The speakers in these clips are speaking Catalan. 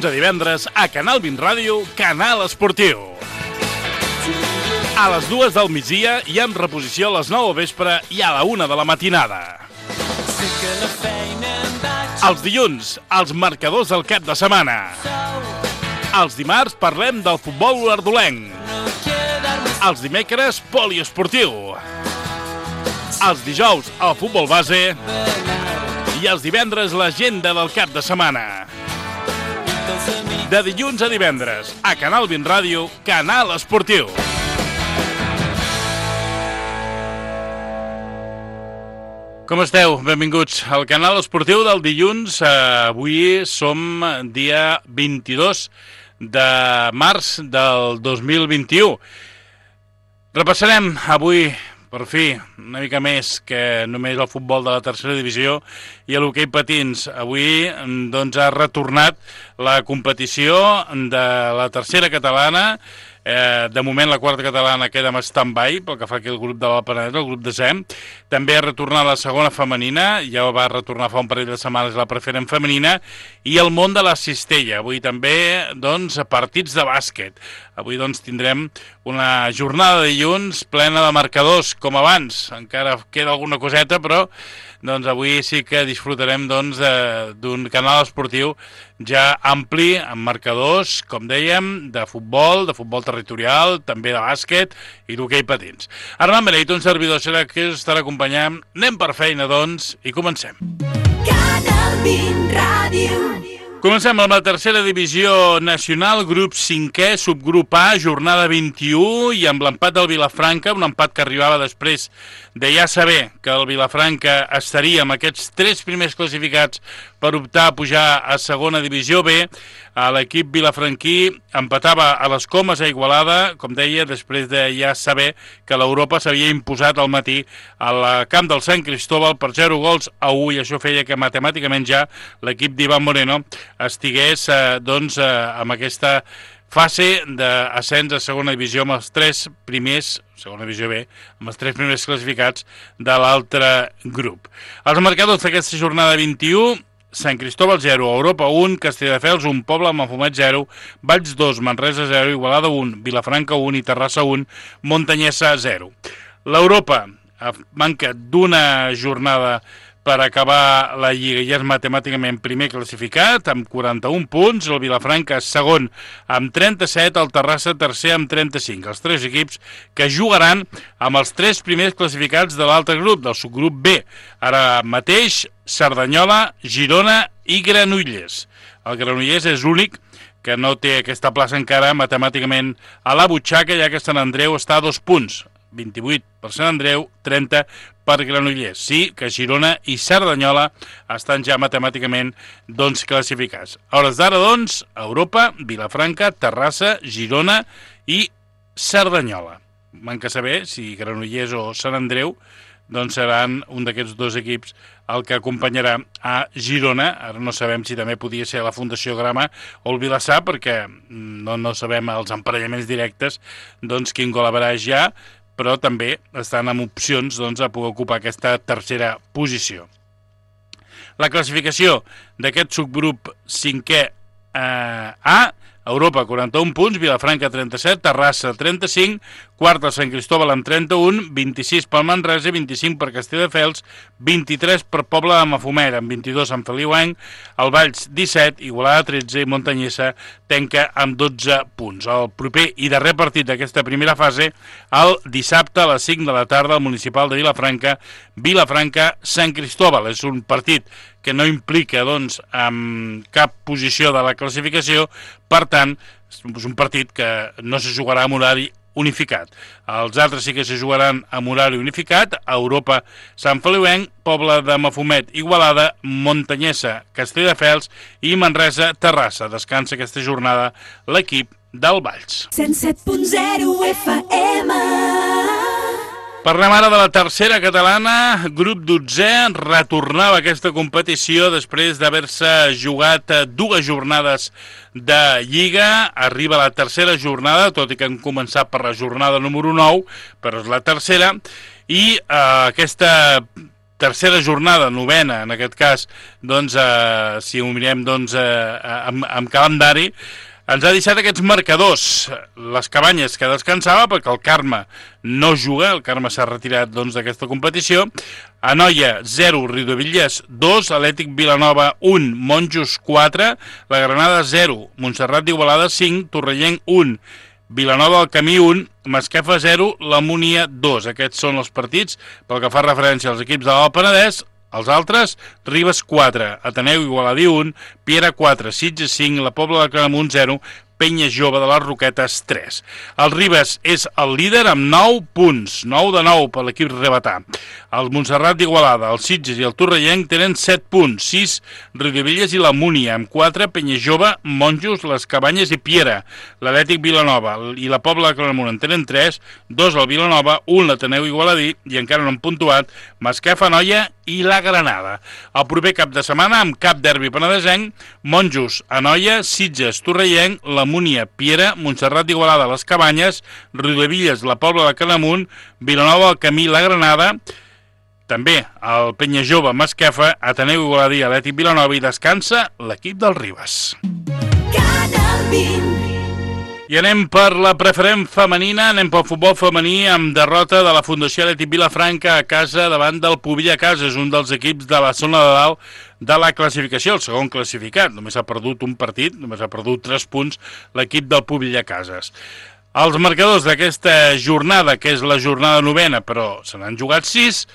dilluns a divendres a Canal 20 Ràdio, Canal Esportiu. A les 2 del migdia i amb reposició a les 9 del vespre i a la 1 de la matinada. Els dilluns, els marcadors del cap de setmana. Els dimarts parlem del futbol olordolenc. Els dimecres, poliesportiu. Els dijous, el futbol base. I els divendres, l'agenda del cap de setmana. De dilluns a divendres, a Canal 20 Ràdio, Canal Esportiu. Com esteu? Benvinguts al Canal Esportiu del dilluns. Avui som dia 22 de març del 2021. Repassarem avui, per fi, una mica més que només el futbol de la tercera divisió i l'hoquei patins. Avui doncs, ha retornat la competició de la tercera catalana. De moment la quarta catalana queda en stand-by pel que fa aquí el grup de l'Alt Penedès, el grup de SEM. També ha retornat la segona femenina, ja va retornar fa un parell de setmanes la preferent femenina, i el món de la cistella. Avui també doncs, partits de bàsquet. Avui doncs, tindrem una jornada de dilluns plena de marcadors, com abans. Encara queda alguna coseta, però doncs, avui sí que disfrutarem doncs, d'un canal esportiu ja ampli, amb marcadors, com dèiem, de futbol territorial, també de bàsquet i d'hoquei patins. Armand Beneit, un servidor, serà que us estarà acompanyant. Anem per feina, doncs, i comencem. Canal 20 Ràdio. Comencem amb la tercera divisió nacional, grup 5è, subgrup A, jornada 21, i amb l'empat del Vilafranca, un empat que arribava després de ja saber que el Vilafranca estaria amb aquests 3 primers classificats per optar a pujar a segona divisió B. L'equip vilafranquí empatava a les Comes a Igualada, com deia, després de ja saber que l'Europa s'havia imposat al matí al camp del Sant Cristóbal per 0-1, i això feia que matemàticament ja l'equip d'Ivan Moreno estigués doncs, amb aquesta fase d'ascens a segona divisió amb els 3 primers, segona divisió B, amb els 3 primers classificats de l'altre grup. Els marcadors d'aquesta jornada 21, Sant Cristóbal 0, Europa 1, Castelldefels 1, Pobla Mafumet 0, Valls 2, Manresa 0, Igualada 1, Vilafranca 1 i Terrassa 1, Montanyesa 0. L'Europa manca d'una jornada per acabar la Lliga i és matemàticament primer classificat amb 41 punts, el Vilafranca segon amb 37, el Terrassa tercer amb 35. Els 3 equips que jugaran amb els 3 primers classificats de l'altre grup, del subgrup B. Ara mateix, Cerdanyola, Girona i Granollers. El Granollers és l'únic que no té aquesta plaça encara matemàticament a la butxaca, ja que Sant Andreu està a 2 punts. 28 per Sant Andreu, 30 per Granollers. Sí que Girona i Cerdanyola estan ja matemàticament doncs, classificats. A hores d'ara, doncs, Europa, Vilafranca, Terrassa, Girona i Cerdanyola. Manca saber si Granollers o Sant Andreu doncs seran un d'aquests 2 equips el que acompanyarà a Girona. Ara no sabem si també podia ser la Fundació Grama o el Vilassar, perquè no sabem els emparellaments directes doncs, quin gol averàs ja, però també estan amb opcions doncs, a poder ocupar aquesta tercera posició. La classificació d'aquest subgrup 5è A, Europa 41 punts, Vilafranca 37, Terrassa 35, quart el Sant Cristóbal amb 31, 26 pel Manresa, 25 per Castelldefels, 23 per Pobla de Mafumet, amb 22 Sant Feliuenc, el Valls 17, Igualada 13 i Montanyesa tanca amb 12 punts. El proper i darrer partit d'aquesta primera fase, el dissabte a les 5 de la tarda al municipal de Vilafranca, Vilafranca-Sant Cristóbal. És un partit que no implica doncs, cap posició de la classificació, per tant, és un partit que no se jugarà amb horari unificat. Els altres sí que se jugaran amb horari unificat, a Europa, Sant Feliuenc, Pobla de Mafumet, Igualada, Montanyesa, Castelldefels i Manresa, Terrassa. Descansa aquesta jornada l'equip del Valls. 107.0 FM. Parlem ara de la tercera catalana, grup 12è, retornava aquesta competició després d'haver-se jugat 2 jornades de Lliga. Arriba la tercera jornada, tot i que han començat per la jornada número 9, però és la tercera, i aquesta tercera jornada, novena, en aquest cas, doncs, si ho mirem doncs, amb calendari, ens ha deixat aquests marcadors. Les Cabanyes, que descansava perquè el Carme no juga, el Carme s'ha retirat doncs, d'aquesta competició. Anoia 0, Riudebitlles 2, Atlètic Vilanova 1, Monjos 4, la Granada 0, Montserrat d'Igualada 5, Torrellenc 1, Vilanova del Camí 1, Masquefa 0, la Múnia 2. Aquests són els partits pel que fa referència als equips de l'Alt Penedès. Els altres, Ribes 4, Ateneu Igualadí 1, Piera 4, Sitges 5, la Pobla de Claramunt 0, Penya Jove de les Roquetes 3. El Ribes és el líder amb 9 punts, 9 de 9 per l'equip rebetà. El Montserrat d'Igualada, el Sitges i el Torrellenc tenen 7 punts, 6 Riudebitlles i la Múnia, amb 4 Penya Jove, Monjos, les Cabanyes i Piera. L'Atlètic Vilanova i la Pobla de Claramunt en tenen 3, 2 el Vilanova, 1 l'Ateneu Igualadí i encara no han puntuat Masquefa, Anoia i la Granada. El proper cap de setmana, amb cap derbi penedesenc, Monjos, Anoia, Sitges, Torrellenc, la Múnia, Piera, Montserrat d'Igualada, les Cabanyes, Riudebitlles, la Pobla de Claramunt, Vilanova del Camí, la Granada, també el Penya Jove, Masquefa, Ateneu Igualadí, Atlètic Vilanova i descansa l'equip del Ribes. I anem per la preferent femenina, anem pel futbol femení amb derrota de la Fundació Atlètic Vilafranca a casa davant del Pobilla Cases, un dels equips de la zona de dalt de la classificació, el segon classificat. Només ha perdut un partit, només ha perdut 3 punts l'equip del Pobilla Cases. Els marcadors d'aquesta jornada, que és la jornada novena, però se n'han jugat 6,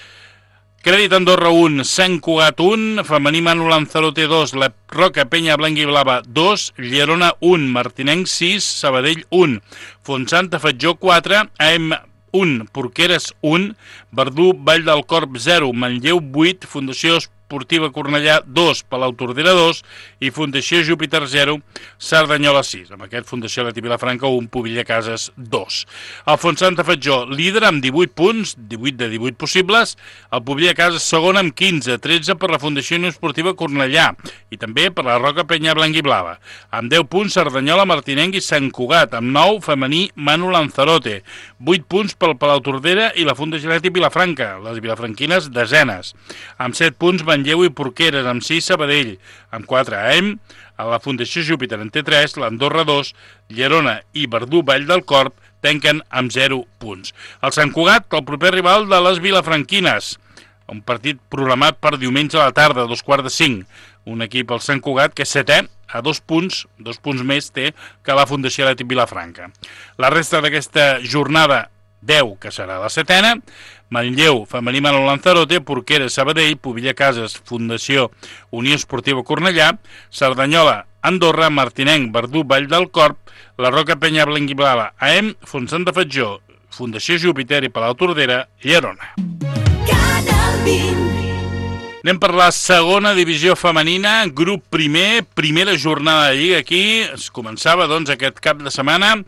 Crèdit Andorra 1, Sant Cugat 1, Femení Manu Lanzarote 2, La Roca Penya Blanca i Blava 2, Llerona 1, Martinenc 6, Sabadell 1, Fontsanta Fatjó 4, AM 1, Porqueres 1, Verdú Vall del Corb 0, Manlleu 8, Fundació Esportiva Cornellà 2, Palau Tordera 2 i Fundació Júpiter 0, Cerdanyola 6. Amb aquest Fundació Atlètic Vilafranca 1, Pobilla Cases 2. El Fontsanta Fatjó líder amb 18 punts, 18 de 18 possibles, el Pobilla Cases segon amb 15, 13 per la Fundació Unió Esportiva Cornellà i també per la Roca Penya Blanca i Blava. Amb 10 punts Cerdanyola, Martinenc i Sant Cugat, amb 9 Femení Manu Lanzarote, 8 punts pel Palau Tordera i la Fundació Atlètic Vilafranca, les vilafranquines desenes. Amb 7 punts Manlleu i Porqueres, amb 6 Sabadell, amb 4 AM, a la Fundació Júpiter en té 3, l'Andorra 2, Llerona i Verdú Vall del Corb tanquen amb 0 punts. El Sant Cugat, el proper rival de les vilafranquines, un partit programat per diumenge a la tarda, a 4:45. Un equip, el Sant Cugat, que és setè, a 2 punts més té que la Fundació Atlètic Vilafranca. La resta d'aquesta jornada 10, que serà la setena, Manlleu, Femení Manu Lanzarote, Porqueres, Sabadell, Pobilla Cases, Fundació Unió Esportiva Cornellà, Cerdanyola, Andorra, Martinenc, Verdú, Vall del Corb, la Roca Penya Blanca i Blava, AM, Fontsanta Fatjó, Fundació Júpiter i Palau Tordera, Llerona. Anem per la segona divisió femenina, grup primer, primera jornada de Lliga aquí. Es començava doncs aquest cap de setmana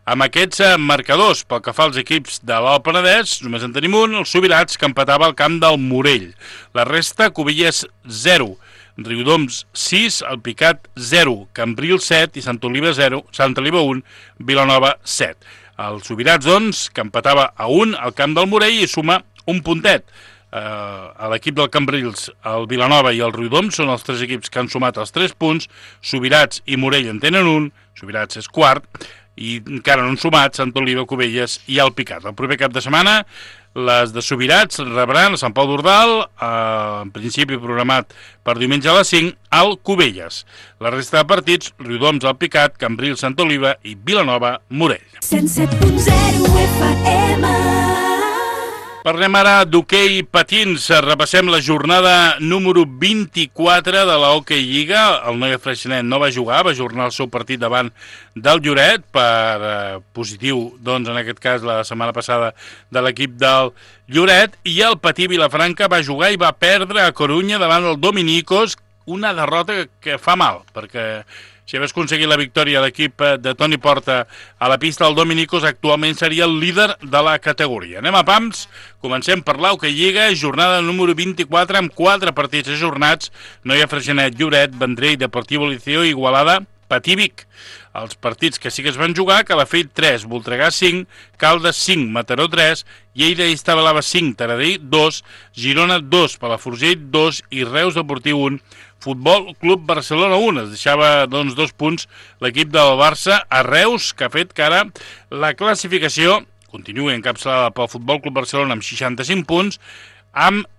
amb aquests marcadors. Pel que fa als equips de l'Alt Penedès, només en tenim un, els Subirats, que empatava al camp del Morell. La resta, Cubelles 0, Riudoms 6, el Picat 0, Cambril 7 i Sant Oliva 0, Sant Oliva 1, Vilanova 7. Els Subirats, doncs, que empatava a 1 al camp del Morell i suma un puntet. A l'equip del Cambrils, el Vilanova i el Riudoms són els 3 equips que han sumat els 3 punts. Subirats i Morell en tenen un, Subirats és quart, i encara no han sumat Sant Oliva, Cubelles i el Picat. El proper cap de setmana les de Subirats rebran a Sant Pau d'Ordal, en principi programat per diumenge a les 5, al Cubelles. La resta de partits, Riudoms, el Picat, Cambrils, Sant Oliva i Vilanova, Morell. 107.0 FM. Parlem ara d'hoquei patins. Repassem la jornada número 24 de la Hockey Lliga. El Noia Freixenet no va jugar, va ajornar el seu partit davant del Lloret per positiu, doncs en aquest cas la setmana passada de l'equip del Lloret, i el Patí Vilafranca va jugar i va perdre a Corunya davant el Dominicos, una derrota que fa mal, perquè si hagués aconseguit la victòria l'equip de Toni Porta a la pista del Dominicos, actualment seria el líder de la categoria. Anem a pams, comencem per l'Hockey Lliga, jornada número 24 amb 4 partits ajornats. Noia Freixenet, Lloret, Vendrell, Deportivo Liceo, Igualada, Patí-Vic. Els partits que sí que es van jugar, Calafell 3, Voltregà 5, Caldes 5, Mataró 3, Lleida i Estabalava 5, Taradell 2, Girona 2, Palafrugell 2 i Reus Deportiu 1, Futbol Club Barcelona 1. Es deixava doncs 2 punts l'equip del Barça a Reus, que ha fet que ara la classificació continua encapçalada pel Futbol Club Barcelona amb 65 punts, amb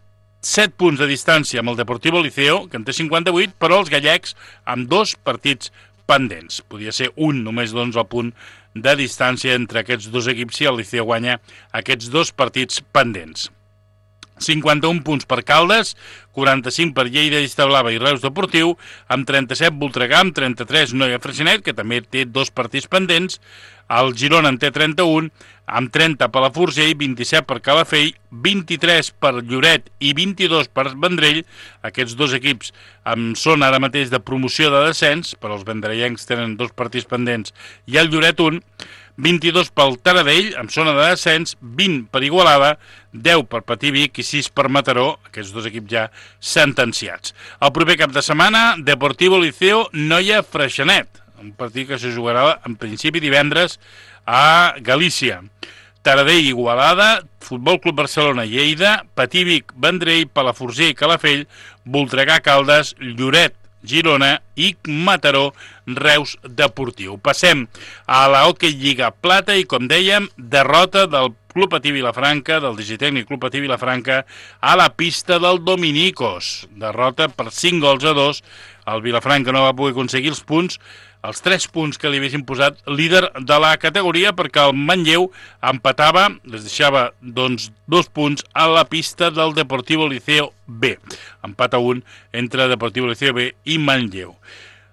7 punts de distància amb el Deportivo Liceo, que en té 58, però els gallecs amb 2 partits pendents. Podia ser un, només doncs el punt de distància entre aquests dos equips si el Liceo guanya aquests 2 partits pendents. 51 punts per Caldes, 45 per Lleida i Establava i Reus Deportiu, amb 37 Voltregà, amb 33 Noia Freixenet, que també té 2 partits pendents, el Girona en té 31, amb 30 per la Forgell, 27 per Calafell, 23 per Lloret i 22 per Vendrell. Aquests 2 equips són ara mateix de promoció de descens, però els vendrellencs tenen 2 partits pendents i el Lloret 1, 22 pel Taradell, amb zona de descens, 20 per Igualada, 10 per Patí-Vic i 6 per Mataró, aquests 2 equips ja sentenciats. El proper cap de setmana, Deportivo Liceo Noia Freixenet, un partit que se jugarà en principi divendres a Galícia. Taradell Igualada, Futbol Club Barcelona Lleida, Patí-Vic Vendrell, Palafrugell Calafell, Voltregà Caldes, Lloret Girona i Mataró Reus Deportiu. Passem a la Hockey Lliga Plata i, com dèiem, derrota del Club Patí Vilafranca, del Digitècnic Club Patí Vilafranca, a la pista del Dominicos. Derrota per 5-2. El Vilafranca no va poder aconseguir els punts, els 3 punts que li haguessin posat líder de la categoria, perquè el Manlleu empatava, les deixava doncs 2 punts a la pista del Deportivo Liceo B. Empat a 1 entre Deportivo Liceo B i Manlleu.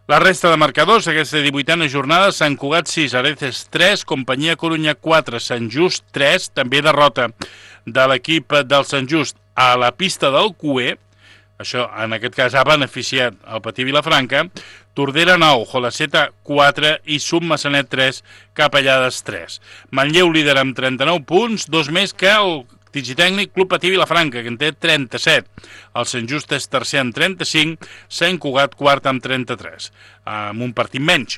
La resta de marcadors, aquesta 18a jornada, Sant Cugat 6, Areces 3, Companyia Corunya 4, Sant Just 3, també derrota de l'equip del Sant Just a la pista del Cué. Això, en aquest cas, ha beneficiat el Patí Vilafranca. Tordera 9, Jolaceta 4 i Submassanet 3, Capellades 3. Manlleu líder amb 39 punts, 2 més que el Digitècnic Club Patí Vilafranca, que en té 37. El Sant Just és tercer amb 35, Sant Cugat quart amb 33, amb un partit menys.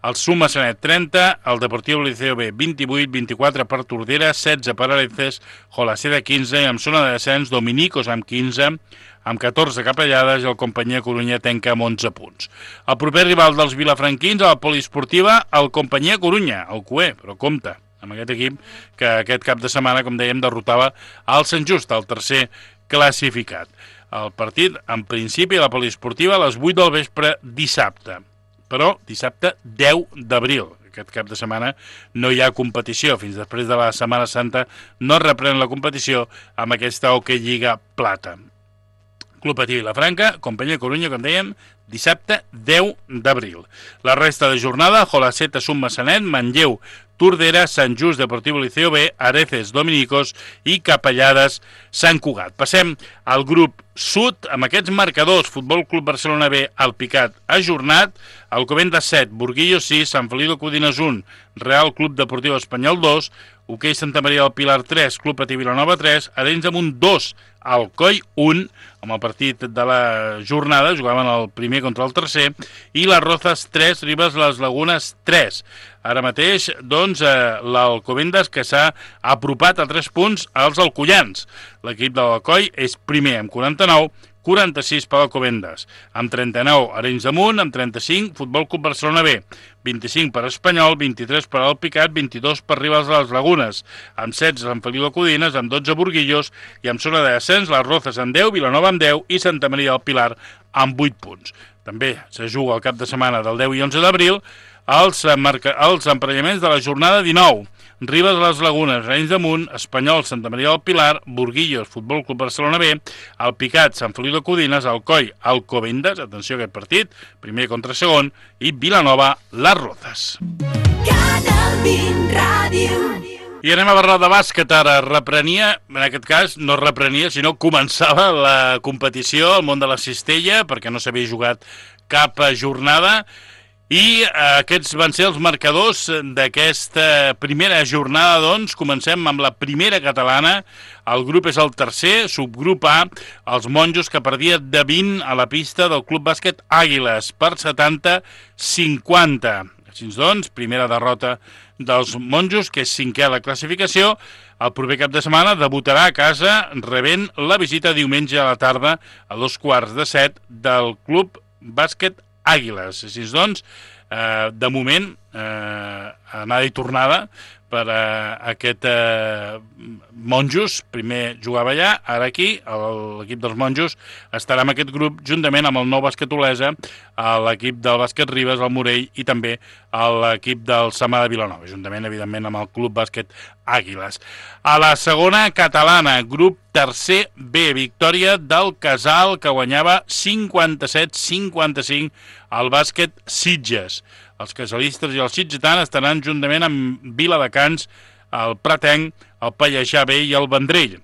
El Submassanet 30, el Deportiu Liceo B 28, 24 per Tordera, 16 per Areces, Jolaceta 15 i amb zona de descens Dominicos amb 15, amb 14 Capellades i el Companyia Corunya tenca amb 11 punts. El proper rival dels vilafranquins a la poliesportiva, el Companyia Corunya, el Cué, però compte amb aquest equip que aquest cap de setmana, com dèiem, derrotava el Sant Just, el tercer classificat. El partit, en principi, a la poliesportiva a les 8 del vespre dissabte, però dissabte 10 d'abril. Aquest cap de setmana no hi ha competició. Fins després de la Setmana Santa no reprèn la competició amb aquesta Hockey Lliga Plata. Club Patí Vilafranca, Companyia Corunya, com dèiem, dissabte 10 d'abril. La resta de jornada, Jolaceta, Submassanet, Manlleu, Tordera, Sant Just, Deportivo Liceo B, Areces, Dominicos i Capellades, Sant Cugat. Passem al grup sud amb aquests marcadors. Futbol Club Barcelona B, Alpicat, ajornat. Alcobendas 7, Burguillo 6, Sant Feliu de Codines 1, Real Club Deportiu Espanyol 2, Hoquei Santa Maria del Pilar 3, Club Patí Vilanova 3, Arenys de Munt 2, Alcoi 1, amb el partit de la jornada, jugaven el primer contra el tercer, i les Rozas 3, Ribes les Lagunes 3. Ara mateix, doncs, l'Alcobendas que s'ha apropat a 3 punts als alcoians. L'equip de l'Alcoi és primer amb 49, 46 per Alcobendas, amb 39 Arenys de Munt, amb 35 Futbol Club Barcelona B, 25 per Espanyol, 23 per Alpicat, 22 per Ribes de les Lagunes, amb 16 Sant Feliu de Codines, amb 12 Burguillos i amb zona de descens les Rozas amb 10, Vilanova amb 10 i Santa Maria del Pilar amb 8 punts. També se juga el cap de setmana del 10 i 11 d'abril els emparellaments de la jornada 19. Ribes de les Lagunes, Arenys de Munt, Espanyol, Santa Maria del Pilar, Burguillos, Futbol Club Barcelona B, Alpicat, Sant Feliu de Codines, Alcoi, Alcobendas, atenció a aquest partit, primer contra segon, i Vilanova, les Rozas. Canal 20 Ràdio. I anem a parlar de bàsquet ara. Reprenia, en aquest cas, no reprenia, sinó començava la competició al món de la cistella, perquè no s'havia jugat cap jornada, I aquests van ser els marcadors d'aquesta primera jornada, doncs. Comencem amb la primera catalana. El grup és el tercer, subgrup A, els monjos, que perdia de 20 a la pista del Club Bàsquet Àguiles per 70-50. Així doncs, primera derrota dels monjos, que és cinquè a la classificació. El proper cap de setmana debutarà a casa rebent la visita diumenge a la tarda a 6:15 del Club Bàsquet Àguiles. Així doncs, de moment, anada i tornada per aquest monjos. Primer jugava allà, ara aquí. L'equip dels monjos estarà en aquest grup juntament amb el Nou Bàsquet Olesa, l'equip del Bàsquet Ribes, el Morell, i també l'equip del Samà de Vilanova, juntament, evidentment, amb el Club Bàsquet Àguiles. A la segona catalana, grup tercer B, victòria del Casal, que guanyava 57-55 al Bàsquet Sitges. Els casalistes i els sitgetans estaran juntament amb Viladecans, el Pratenc, el Pallejà B i el Vendrell.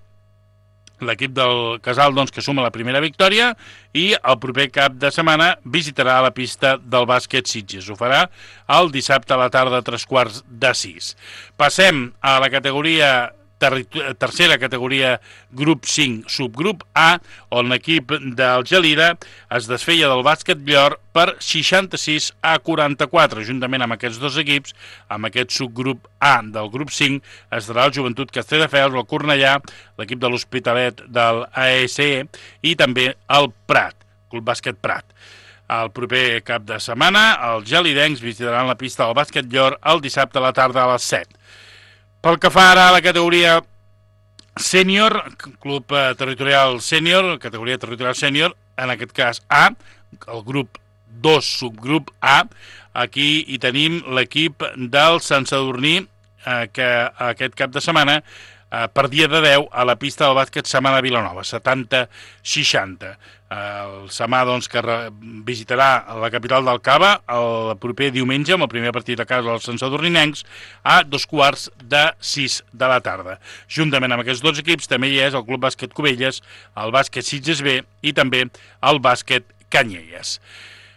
L'equip del Casal, doncs, que suma la primera victòria, i el proper cap de setmana visitarà la pista del Bàsquet Sitges. Ho farà el dissabte a la tarda a 5:45. Passem a la categoria tercera categoria, grup 5, subgrup A, on l'equip del Gelida es desfeia del Bàsquet Llor per 66-44. Juntament amb aquests dos equips, amb aquest subgrup A del grup 5, estarà el Joventut Castelldefels, el Cornellà, l'equip de l'Hospitalet del ASE i també el Prat, Club Bàsquet Prat. El proper cap de setmana, els gelidencs visitaran la pista del Bàsquet Llor el dissabte a la tarda a les 7. Pel que fa ara a la categoria sènior, club territorial sènior, categoria territorial sènior, en aquest cas A, el grup 2, subgrup A, aquí hi tenim l'equip del Sant Sadurní, que aquest cap de setmana perdia de 10 a la pista del bàsquet Samà de Vilanova, 70-60. El Samà, doncs, que visitarà la capital del Cava el proper diumenge, amb el primer partit a casa dels Sant Sadurninencs, a 5:45 de la tarda. Juntament amb aquests dos equips també hi és el Club Bàsquet Cubelles, el Bàsquet Sitges B i també el Bàsquet Canyelles.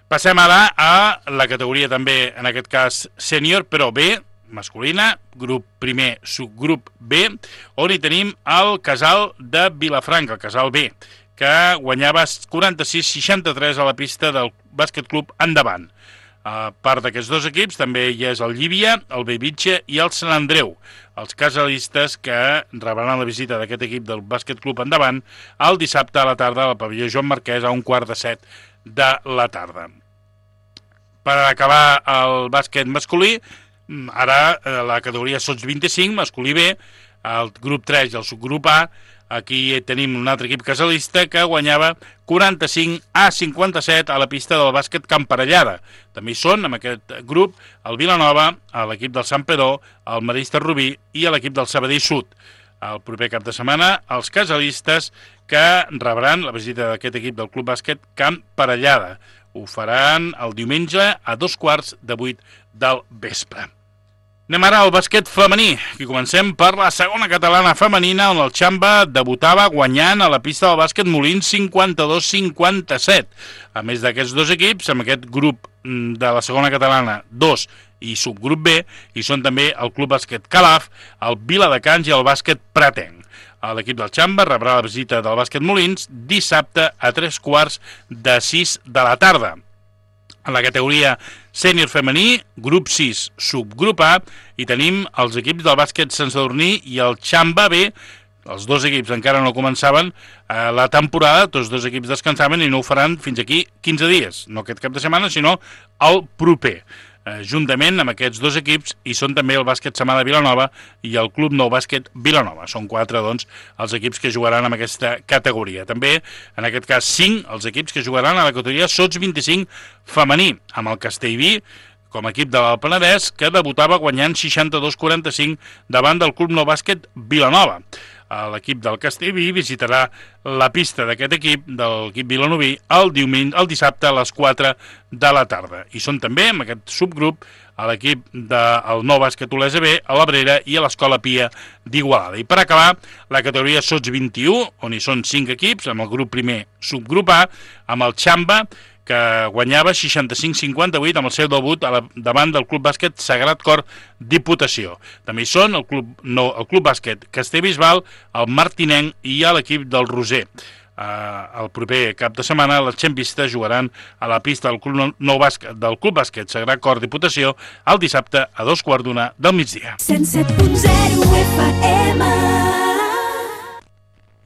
Passem ara a la categoria també, en aquest cas, sènior, però B, masculina, grup primer, subgrup B, on hi tenim el Casal de Vilafranca, el Casal B, que guanyava 46-63 a la pista del Bàsquet Club Endavant. A part d'aquests dos equips també hi és el Llívia, el Bellvitge i el Sant Andreu, els casalistes que rebran la visita d'aquest equip del Bàsquet Club Endavant el dissabte a la tarda al pavelló Joan Marquès a 6:15 de la tarda. Per acabar el bàsquet masculí, ara la categoria sots 25, masculí B, el grup 3 i el subgrup A. Aquí tenim un altre equip casalista que guanyava 45-57 a la pista del bàsquet Camparellada. També hi són, en aquest grup, el Vilanova, l'equip del Sant Pedó, el Marista Rubí i l'equip del Sabadell Sud. El proper cap de setmana, els casalistes que rebran la visita d'aquest equip del Club Bàsquet Camparellada. Ho faran el diumenge a 7:15 del vespre. Anem ara al bàsquet femení, i comencem per la segona catalana femenina, on el Xamba debutava guanyant a la pista del bàsquet Molins 52-57. A més d'aquests dos equips, amb aquest grup de la segona catalana 2 i subgrup B, hi són també el Club Bàsquet Calaf, el Viladecans i el Bàsquet Pratenc. L'equip del Xamba rebrà la visita del bàsquet Molins dissabte a 5:45 de la tarda. En la categoria sènior femení, grup 6, subgrup A, hi tenim els equips del bàsquet Sant Sadurní i el Xamba B. Els dos equips encara no començaven la temporada, tots dos equips descansaven i no ho faran fins aquí 15 dies, no aquest cap de setmana, sinó el proper. Juntament amb aquests dos equips hi són també el bàsquet Samà de Vilanova i el Club Nou Bàsquet Vilanova. Són 4, doncs, els equips que jugaran en aquesta categoria. També, en aquest cas, 5 els equips que jugaran a la categoria sots 25 femení, amb el Castellví com a equip de l'Alt Penedès, que debutava guanyant 62-45 davant del Club Nou Bàsquet Vilanova. L'equip del Castellví visitarà la pista d'aquest equip, de l'equip vilanoví, el dissabte a les 4 de la tarda. I són també, en aquest subgrup, l'equip del Nou Bàsquet Olesa B, a l'Abrera i a l'Escola Pia d'Igualada. I per acabar, la categoria sots 21, on hi són 5 equips, amb el grup primer subgrup A, amb el Xamba, que guanyava 65-58 amb el seu debut davant del Club Bàsquet Sagrat Cor Diputació. També hi són el Club Bàsquet Castellbisbal, el Martinenc i l'equip del Roser. El proper cap de setmana les xempistes jugaran a la pista del Club Bàsquet Sagrat Cor Diputació el dissabte a 2:15 del migdia. 107.0 FM.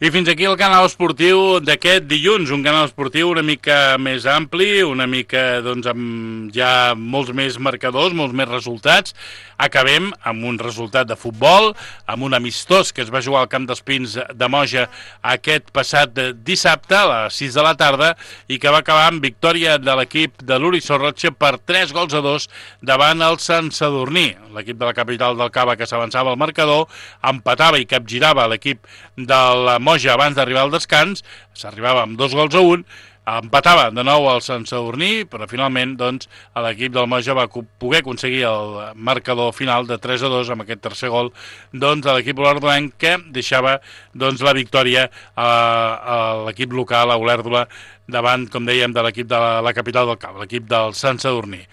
I fins aquí el canal esportiu d'aquest dilluns, un canal esportiu una mica més ampli, una mica amb ja molts més marcadors, molts més resultats. Acabem amb un resultat de futbol, amb un amistós que es va jugar al Camp dels Pins de Moja aquest passat dissabte a les 6 de la tarda i que va acabar amb victòria de l'equip de l'Uri Sorroche per 3-2 davant el Sant Sadurní. L'equip de la capital del Cava, que s'avançava al marcador, empatava i capgirava l'equip del Moja abans d'arribar al descans, s'arribava amb 2-1, empatava de nou el Sant Sadurní, però finalment l'equip del Moja va poder aconseguir el marcador final de 3-2 amb aquest tercer gol de l'equip olèrdolenc, que deixava la victòria a l'equip local, a Olèrdola, davant, com dèiem, de l'equip de la capital del Cava, l'equip del Sant Sadurní.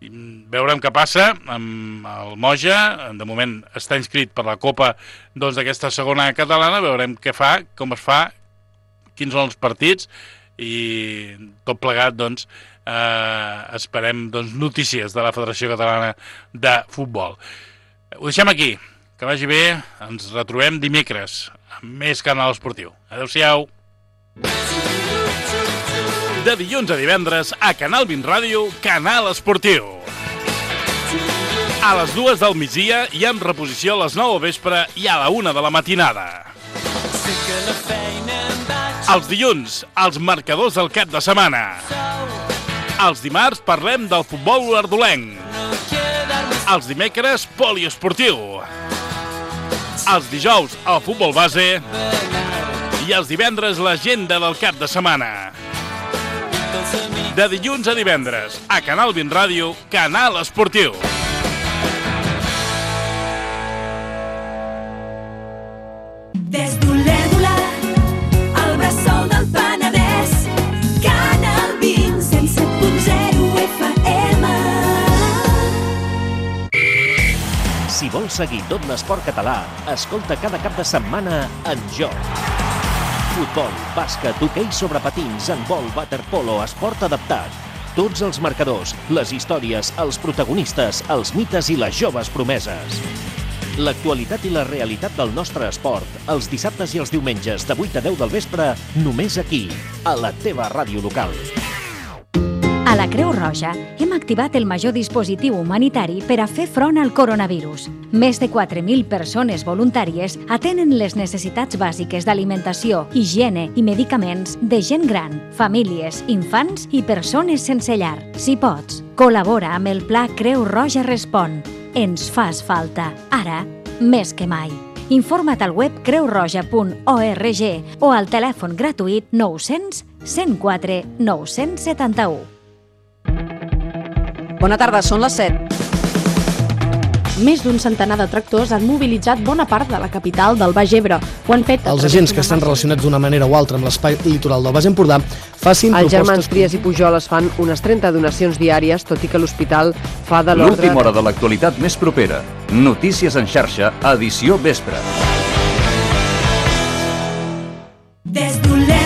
Veurem què passa amb el Moja. De moment està inscrit per la Copa d'aquesta segona catalana. Veurem què fa, com es fa, quins són els partits i tot plegat esperem notícies de la Federació Catalana de Futbol. Ho deixem aquí. Que vagi bé. Ens retrobem dimecres amb més canal esportiu. Adéu-siau. De dilluns a divendres a Canal 20 Ràdio, Canal Esportiu. A les 2 del migdia i amb reposició a les 9 del vespre i a la 1 de la matinada. Els dilluns, els marcadors del cap de setmana. Els dimarts parlem del futbol olèrdolenc. Els dimecres, poliesportiu. Els dijous, el futbol base. I els divendres, l'agenda del cap de setmana. De dilluns a divendres, a Canal 20 Ràdio, Canal Esportiu. Des d'Olèrdola, al bressol del Penedès, Canal 20, 107.0 FM. Si vols seguir tot l'esport català, escolta cada cap de setmana En Joc. Futbol, bàsquet, hoquei sobre patins, handbol, waterpolo, esport adaptat. Tots els marcadors, les històries, els protagonistes, els mites i les joves promeses. L'actualitat i la realitat del nostre esport, els dissabtes i els diumenges de 8 a 10 del vespre, només aquí, a la teva ràdio local. A la Creu Roja hem activat el major dispositiu humanitari per a fer front al coronavirus. Més de 4.000 persones voluntàries atenen les necessitats bàsiques d'alimentació, higiene i medicaments de gent gran, famílies, infants i persones sense llar. Si pots, col·labora amb el Pla Creu Roja Respon. Ens fas falta, ara més que mai. Informa't al web creurroja.org o al telèfon gratuït 900 104 971. Bona tarda, són les 7. Més d'un centenar de tractors han mobilitzat bona part de la capital del Baix Ebre. Ho han fet els agents que estan relacionats d'una manera o altra amb l'espai litoral del Baix Empordà facin propostes... Els germans propostes... Trias i Pujoles fan unes 30 donacions diàries, tot i que l'hospital fa de l'ordre... L'última hora de l'actualitat més propera. Notícies en xarxa, edició vespre. Des d'Olèrdola,